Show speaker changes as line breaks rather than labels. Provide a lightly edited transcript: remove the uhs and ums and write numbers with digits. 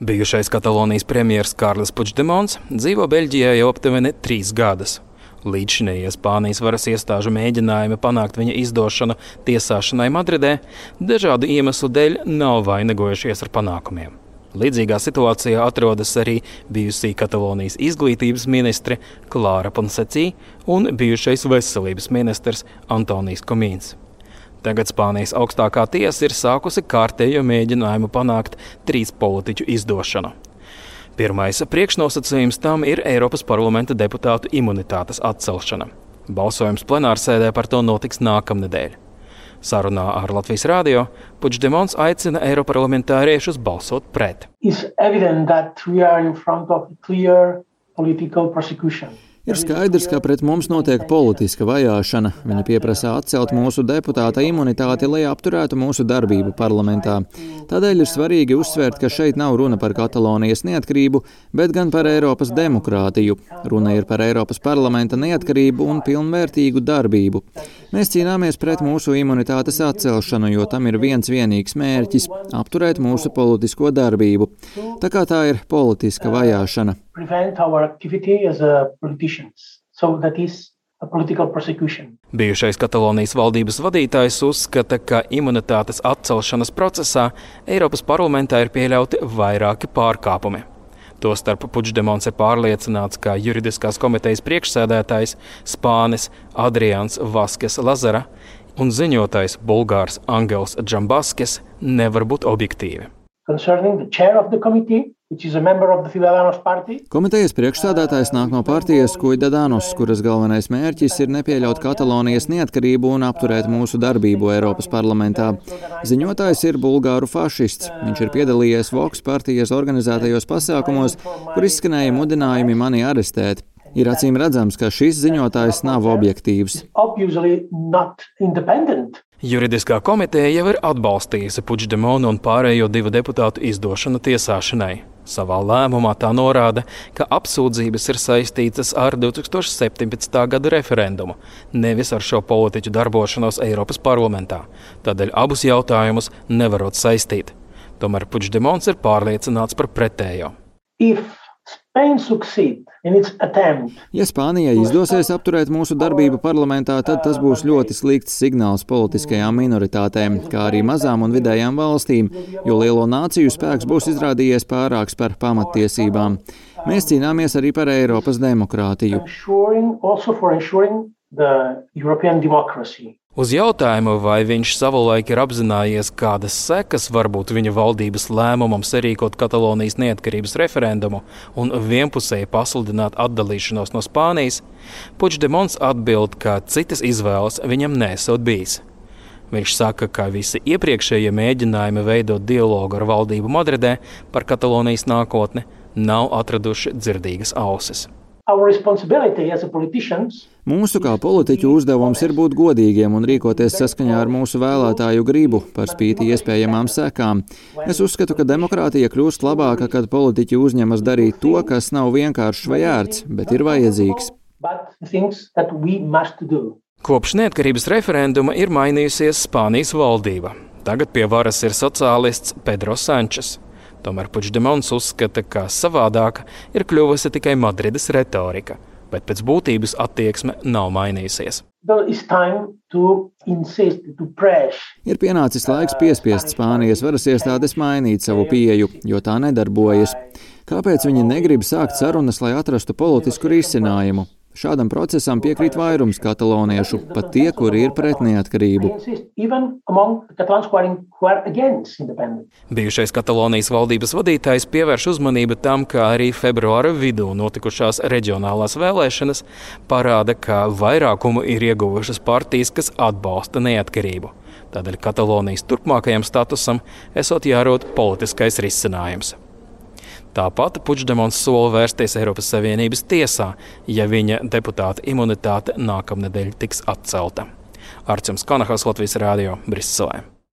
Bijušais Katalonijas premjers Kārlis Puigdemons dzīvo Beļģijā jau aptuveni 3 gadus. Līdzšinējie Spānijas varas iestāžu mēģinājumi panākt viņa izdošanu tiesāšanai Madridē dažādu iemeslu dēļ nav vainagojušies ar panākumiem. Līdzīgā situācijā atrodas arī bijusī Katalonijas izglītības ministre Klāra Ponsacī un bijušais veselības ministrs Antonijs Komīns. Tagad Spānijas augstākā tiesa ir sākusi kārtējo mēģinājumu panākt 3 politiķu izdošanu. Pirmais priekšnosacījums tam ir Eiropas parlamenta deputātu imunitātes atcelšana. Balsojums plenārsēdē par to notiks nākamnedēļ. Sarunā ar Latvijas radio Puigdemons aicina eiroparlamentāriešus balsot pret.
Ir skaidrs, ka pret mums notiek politiska vajāšana. Viņa pieprasa atcelt mūsu deputāta imunitāti, lai apturētu mūsu darbību parlamentā. Tādēļ ir svarīgi uzsvērt, ka šeit nav runa par Katalonijas neatkarību, bet gan par Eiropas demokrātiju. Runa ir par Eiropas parlamenta neatkarību un pilnvērtīgu darbību. Mēs cīnāmies pret mūsu imunitātes atcelšanu, jo tam ir viens vienīgs mērķis – apturēt mūsu politisko darbību. Tā kā tā ir politiska vajāšana.
Bijušais Katalonijas valdības vadītājs uzskata, ka imunitātes atcelšanas procesā Eiropas parlamentā ir pieļauti vairāki pārkāpumi. Tostarp Puigdemons ir pārliecināts, ka juridiskās komitejas priekšsēdētājs Spānis Adrians Vaskes Lazara un ziņotājs bulgārs Angels Džambaskis nevar būt objektīvi.
Komitejas priekšsādātājs nāk no partijas Ciudadanos, kuras galvenais mērķis ir nepieļaut Katalonijas neatkarību un apturēt mūsu darbību Eiropas parlamentā. Ziņotājs ir bulgāru fašists. Viņš ir piedalījies Vox partijas organizētajos pasākumos, kur izskanēja mudinājumi mani arestēt. Ir acīm redzams, ka šis ziņotājs nav objektīvs.
Juridiskā komiteja jau ir atbalstījusi Puigdemonu un pārējo 2 deputātu izdošanu tiesāšanai. Savā lēmumā tā norāda, ka apsūdzības ir saistītas ar 2017. gada referendumu, nevis ar šo politiķu darbošanos Eiropas parlamentā. Tādēļ abus jautājumus nevarot saistīt. Tomēr Puigdemons ir pārliecināts par pretējo.
Ja Spānijai izdosies apturēt mūsu darbību parlamentā, tad tas būs ļoti slikts signāls politiskajām minoritātēm, kā arī mazām un vidējām valstīm, jo lielo nāciju spēks būs izrādījies pārāks par pamattiesībām. Mēs cīnāmies arī par Eiropas demokrātiju.
Uz jautājumu, vai viņš savulaik ir apzinājies, kādas sekas var būt viņa valdības lēmumam sarīkot Katalonijas neatkarības referendumu un vienpusēji pasludināt atdalīšanos no Spānijas, Puigdemons atbild, ka citas izvēles viņam nesot bijis. Viņš saka, ka visi iepriekšējie mēģinājumi veidot dialogu ar valdību Madridē par Katalonijas nākotni nav atraduši dzirdīgas ausis.
Mūsu kā politiķu uzdevums ir būt godīgiem un rīkoties saskaņā ar mūsu vēlētāju gribu, par spīti iespējamām sekām. Es uzskatu, ka demokrātija kļūst labāka, kad politiķi uzņemas darīt to, kas nav vienkāršs vai ērts, bet ir vajadzīgs.
Kopš neatkarības referenduma ir mainījusies Spānijas valdība. Tagad pie varas ir sociālists Pedro Sančes. Tomēr Puigdemons uzskata, ka savādāka ir kļuvusi tikai Madrides retorika, bet pēc būtības attieksme nav mainījusies.
Ir pienācis laiks piespiest Spānijas varas iestādes mainīt savu pieeju, jo tā nedarbojas. Kāpēc viņi negrib sākt sarunas, lai atrastu politisku risinājumu? Šādam procesam piekrīt vairums kataloniešu, pat tie, kuri ir pret neatkarību.
Bijušais Katalonijas valdības vadītājs pievērš uzmanību tam, ka arī februāra vidū notikušās reģionālās vēlēšanas parāda, ka vairākumu ir ieguvušas partijas, kas atbalsta neatkarību. Tādēļ Katalonijas turpmākajam statusam esot jārod politiskais risinājums. Tāpat Puigdemons sola vērsties Eiropas Savienības tiesā, ja viņa deputāta imunitāte nākamnedēļ tiks atcelta. Arčuns Kanahas, Latvijas radio, Briselē.